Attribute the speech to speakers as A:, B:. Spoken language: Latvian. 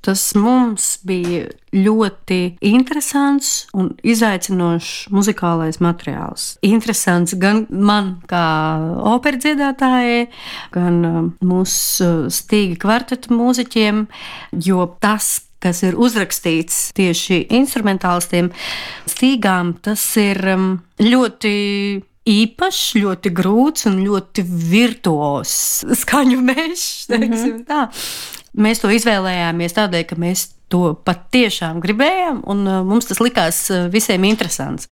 A: Tas mums bija ļoti interesants un izaicinošs muzikālais materiāls. Interesants gan man kā operas dziedātājai, gan mūsu Stīga kvarteta mūziķiem, jo tas, kas ir uzrakstīts tieši instrumentālistiem Stīgām, tas ir ļoti īpašs, ļoti grūts un ļoti virtuos skaņu mežs, teiksim tā. Mēs to izvēlējāmies tādēļ, ka mēs to patiešām gribējām, un mums tas likās visiem interesants.